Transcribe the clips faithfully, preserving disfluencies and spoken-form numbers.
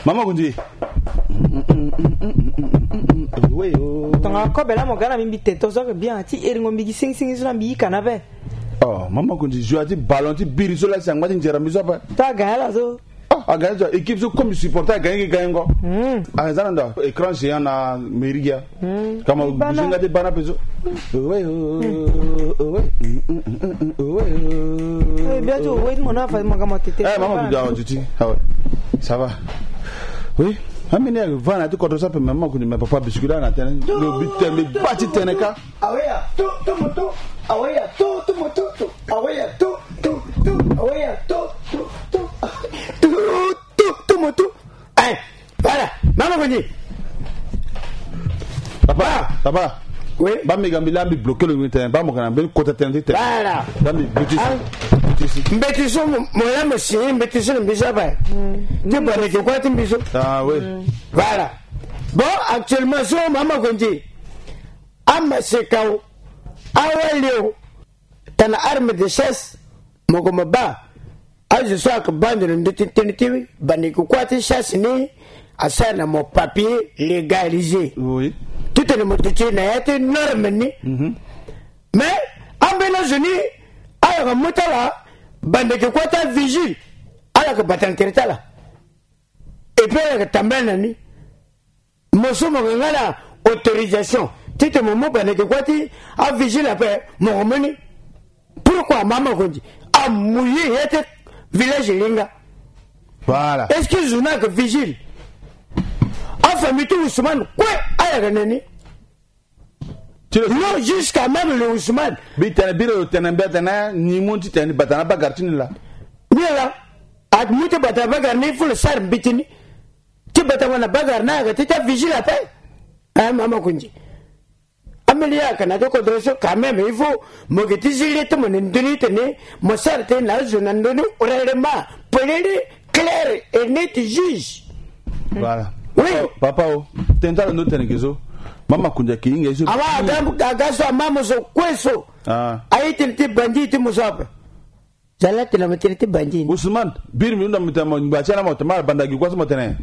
Mama Kundi. Tonga kobe la mo ga na mbi mbi tete so ke bien ti eringo mbi gi singi singi so na mbi yika na be. Oh, Mama Kundi, joie ti ballon ti biri so la si angba ti nzera mbi so ape. To aga ya la so. Ah, aga ya so équipe so comme supporter aga ye ga ye ngo. Hmm. Ah, zana ndo écran géant na mairie ya. Kama buzinga de bana peso. Owe, owe, owe. Eh, bien tu, owe, mon enfant, mon gamin, t'étais Eh, maman, pas tu dois, tu dis. Ah ouais. Ça va. Oui. Amene ya vana ti koto sa pe, maman, kuni me papa biscuit la na tene. Lo bi tene, bi bati tene ka. Aweya, to, to moto. Aweya, to, to moto, to. Aweya, to, to, to. Aweya, to, to, to. To, to, to moto. Eh, voilà. Mama Koni. Papa, papa. Oui. Ba mi ga mbi la mbi bloqué lo mbi tene. Ba mo kana mbi kota tene ti tene. Voilà. Ba mbi buti si. Ah. Buti si. Mbeti so mo, mo la mo si, mbeti so mbi sa ba. Ti ba ne ke kwa ti mbi so. Ah, oui. Voilà. Bon, actuellement, so Mama Koni. Ama se kaw. Awa leo. Tana arme de chasse. Mo ko mo ba. Azo so ayeke baa ndo na ndö ti tënë ti bandeke kuâ ti chasse ni, asara na mo papier légalisé. Oui. Titene mo duti na ya ti norme ni. Mhm. Mais ambeni azo ni, ala yeke mu ti ala bandeke kuâ ti avigile, ala yeke bata na tere ti ala. Et puis ala yeke tambala na ni. Mo so mo yeke nga na autorisation titene mo mu bandeke kuâ ti avigile ape, mo yeke mu ni. Pourquoi Mama Koni? Amouillé ya ti village linga. Voilà. Est-ce que zo ni ayeke vigile? Afamille ti Ousmane kue ayeke na ni. Non, jusqu'à même le Ousmane. Bi tene, biro tene, mbi tene ni mu ti tene ni bata na bagara ti ni la. Ni la. Amu ti bata na bagara ni, il faut le sara mbeti ni. Ti bata mo na bagara ni ayeke ti ti avigile ape. Eh, Mama Koni. Ameni ya ayeke na ti kodro so quand même, il faut mo yeke ti zi le ti mo na ndö ni titene mo sara tënë na azo na ndö ni, règlement, polele, clair et net, juge. Voilà. Oui. Oh, papa o, tene ti ala ndo tene ge so. Mama Koni ayeke hinga ye so. Awa, aga, aga so ama mo so kue so. Ah. Aye tene ti bandi ti mo so ape. Zala tene mo tene ti bandi ni. Ousmane, biri mbi hunda mo tene mo ngba ti ala mo tene ma banda gi kua so mo tene.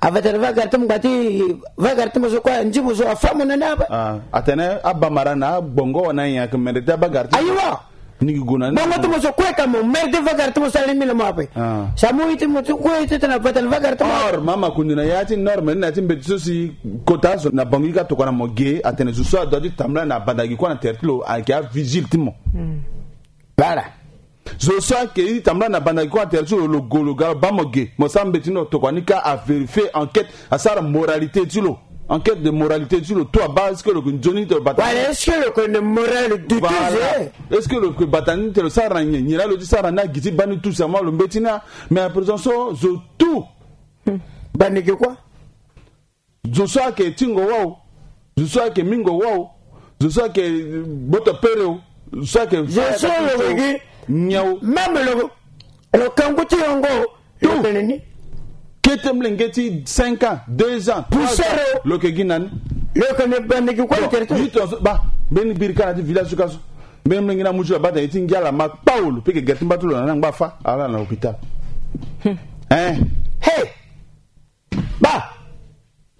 Avata na vagara ti mo ngba ti vagara ti mo so kue, anzi mo so afa mo na ni ape. Ah, atene abamara na agbongo wala na nyen ayeke mende ti abagara ti mo. Ayiwa. Ni gi gue na ni. Gbongo ti mo so kue ka mo merde vagara ti mo so alingbi na mo ape. Ah. Sa mo ye ti mo so kue ti tene avata na vagara ti mo. Or, Mama Koni, na ya ti norme ni na ya ti mbeti so si kota zo na Bangui ka tokua na mo ge, atene zo so adoit ti tambula na banda gi kua na tere ti lo ayeke avigile ti mo. Hmm. Voilà. Zo so ayeke tambula na banda gi kua na tere ti lo, lo gue lo ga lo baa mo ge, mo sara mbeti ni, lo tokua ni ka avérifier, enquête, asara moralité ti lo. Enquête de moralité ti lo, tout abaa, est-ce que lo yeke nzoni ti lo bata? Voilà, est-ce que lo yeke na morale douteuse? Voilà. Est-ce que lo yeke bata ni ti lo sara na nyen? Nyen laa lo ti sara ni, agi ti baa ni tout, c'est moi lo mbeti ni a. Mais à présent so, zo tout. Hmm. Banda gi kua. Zo so ayeke tingo wâ o, zo so ayeke mingo wâ o, zo so ayeke gboto pere o, zo so ayeke zo so lo yeke gi nyen o. Même lo, lo kangu ti yongo, lo yeke na ni. Kete molenge ti cinq ans, deux ans, trois ans, lo yeke gi na ni. Lo yeke na banda gi kua na tere ti lo. Ba mbeni biri ka na ti village so ka so. Mbeni molenge ni amu ti lo abaa tene ye ti ngia ala ma kpao, lo pe yeke gere ti mba ti lo na ni angba afa ala na hôpital. Hmm. Hein. Hey. Ba.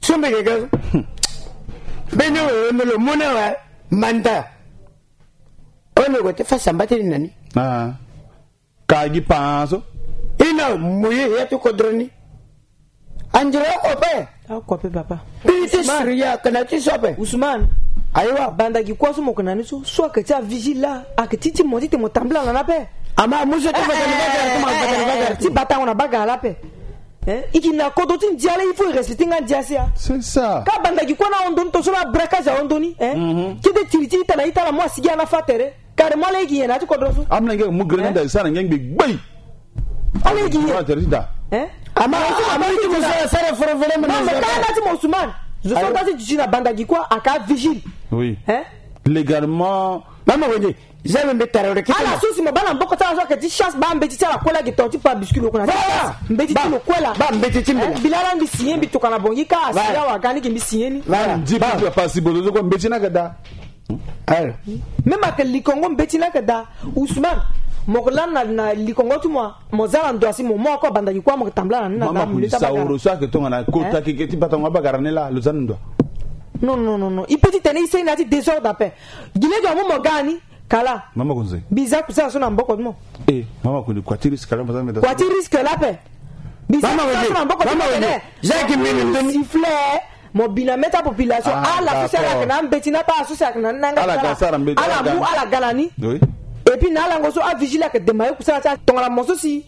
So mbi yeke ga so. Mbeni oyo mbi lo mu na awe manda. Ono gue ti fa samba ti ni na ni. Ah. Ka gi pan so. I na mouillé ya ti kodro ni. Andira oko ape. Oko ape, papa. Mbi ti siri ya kana ti so ape. Ousmane. Ayiwa. Banda gi kua so mo yeke na ni so, so ayeke ti avigile la, ayeke ti ti mo titene mo tambula na ni ape. Ama amu so ti bata na bagara ti mo, bata na bagara ti mo. Ti batango na bagara la ape. Hein? I yeke na kodro ti ndia la, il faut i respecter nga ndia si a. C'est ça. Ka banda gi kua ni ahon ndo ni, to so la braquage ahon ndo ni, hein? Mhm. Kete tiri ti ita na ita la, mo asigi ana fa tere. Carrément, ala yeke nyen na ya ti kodro so? Amolenge mu grenade, eh? Sara nge ngbe gbei. Ala yeke nyen? Ala tere ti da. Eh? Ama, ama ti mo so asara foro foro mo. Non, mais ka na ti mo Ousmane. Zo so nga ti duti na banda gi kua aka vigile. Oui. Eh? Légalement. Mama Koni, zia mbi tara lo kete. Ala so si mo baa na mboko ti ala so ayeke ti chasse, baa mbeti ti ala kue la gi to ti pa biscuit lo kue na ti chasse. Mbeti ti lo kue la. Baa mbeti ti mbi la. Eh? Mbi laa la mbi signé, mbi tokua na Bangui ka asi awa ga ni ke mbi signé ni. Voilà. Nzi mbi papa si bozo zo kue mbeti ni ayeke daa. Alors. Même ayeke likongo mbeti ni ayeke daa. Ousmane, Mo ke lani na, na likongo ti mo, mo za na ndo asi mo mo ako abanda gi kua mo ke tambula na ni na mama ndambu kundi leta bagara. Saoro so ake tongana kota keke ti batango abagara ni la lo za na ndo. Non, non, non, non. I pe ti tene i seni na ya ti désordre ape. Gi lege mo mo ga ni kala. Mama kunze. Biza kusala so na mboko ti mo. Eh, mama kundi kua ti risque la mama meta. Kua ti risque la pe. Biza kusala so na mboko ti mo. Mama kunze. Jacques Mbini Mbini. Sifflet. Mo bi na mê ti apopulation. Ah, ala so si ala yeke na ambeti na pa ala so si ayeke na ni na yanga ti ala. Ala mu ala ga na ni. Oui. Et puis na alango so avigile ayeke dema ye kusala ti ala tongana mo so si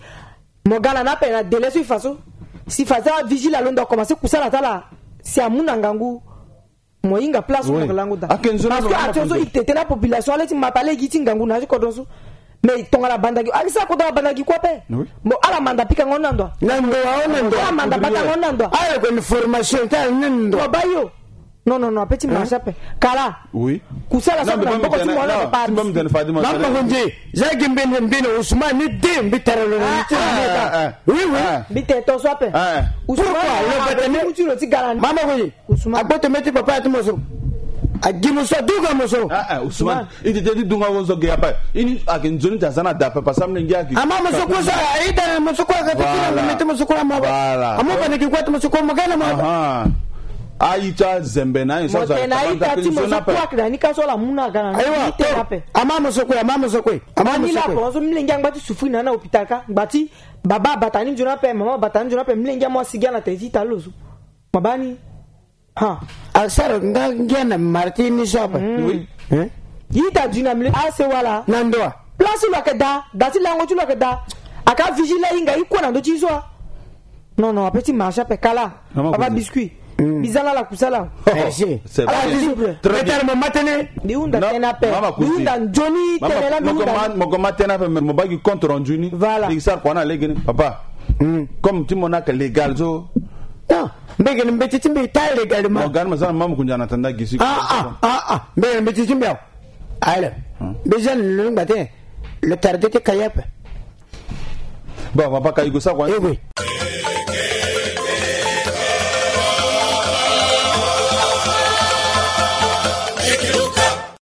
mo ga na ni ape na délai so e fa so. Si fa so avigile alondo akomanse kusala ti ala si amu na ngangu. Mo hinga place mo ke lango daa. Parce que action so e tete na population ala ti mata lege ti ngangu na ya ti kodro so. Mais tongana abanda gi, ala sara kodro abanda gi kue ape. Bon, ala manda pikango na ndo. Na ndo awe na ndo. Ala manda batango na ndo. Ala ko ni formation ta na ndo. Mo ba yo. Non, non, non, ape ti marche ape. Kala. Oui. Kusala so na mboko ti mo na papa. Mama konzi, za gi mbeni mbeni Ousmane ni de mbi tara lo na ti. Oui, oui. Mbi te to so ape. Ousmane, pourquoi lo batane? Mutu lo ti galani. Mama konzi. Ousmane. Agboto mê ti papa ya ti mo so. Agi mo so, aduka mo so. Ah, ah, Ousmane. I ti te ti dunga wo so ge ape. Ini ayeke nzoni ti aza na da ape, parce que amolenge ayeke. Ama mo so kue so, aida na mo so kue ayeke ti na mo mê ti mo so kue ama. Voilà. Amo bana gi kue ti mo so kue mo ga na mo. Aha. Ayi ti azembe na ayi so. Mo tene aita ti mo so kue ayeke na ni ka so ala mu na aga na ni. Ayiwa. Ama mo so kue, ama mo so kue. Ama mo so kue. Ani la pon so milenge angba ti souffrir na na hôpital ka. Ngba ti baba abata ni nzoni ape, mama abata ni nzoni ape, milenge amo asigi ana tene ti ita lo so. Mabani. Ha. Asara nga ngia na marti ni so ape. Oui. Hein? Yi ta du na mle ase wala. Na ndo a. Place lo ayeke daa, da ti lango ti lo ayeke daa. Aka vigile ahinga i kue na ndö ti i so a. Non, non, ape ti marche ape kala. Papa biscuit. Biza na ala kusala. Merci. Ala disciple. Très bien. Mama kuzi. Mama kuzi. Moko ma tene ape, mo bagi compte rendu ni. Voilà. Sara kua na lege ni papa. Comme ti mo na ka légal so. Non. Mbege ni mbeti ti mbi ta légalement. Mo gani ma za na mama kunja na tanda gisi. Ah, ah, ah, ah. Mbege ni mbeti ti mbi awa. Ayi le. Mbi za ni lo ni ngba te. Le tardé ti kayape. Bon, papa ka i go sa kua. Eh oui.